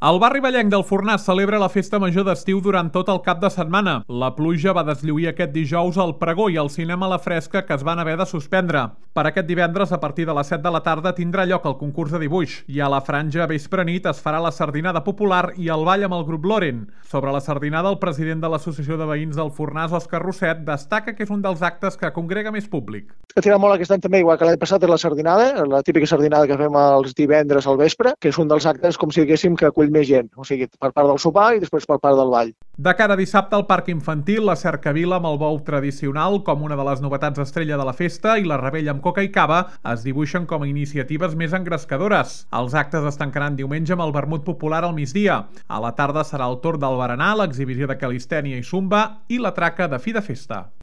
El barri vallenc del Fornàs celebra la festa major d'estiu durant tot el cap de setmana. La pluja va deslluir aquest dijous el pregó i el cinema a la fresca que es van haver de suspendre. Per aquest divendres, a partir de les 7 de la tarda, tindrà lloc el concurs de dibuix i a la franja vespre-nit es farà la sardinada popular i el ball amb el grup Loren. Sobre la sardinada, el president de l'Associació de Veïns del Fornàs, Òscar Rosset, destaca que és un dels actes que congrega més públic. Que tira molt aquest any també, igual que l'any passat, és la sardinada, la típica sardinada que fem els divendres al vespre, que és un dels actes, com si diguéssim, que acull més gent, o sigui, per part del sopar i després per part del ball. De cara a dissabte, al Parc Infantil, la cercavila amb el bou tradicional, com una de les novetats estrella de la festa, i la rebella amb coca i cava es dibuixen com a iniciatives més engrescadores. Els actes es tancaran diumenge amb el vermut popular al migdia. A la tarda serà el torn del berenar, l'exhibició de calistènia i zumba i la traca de fi de festa.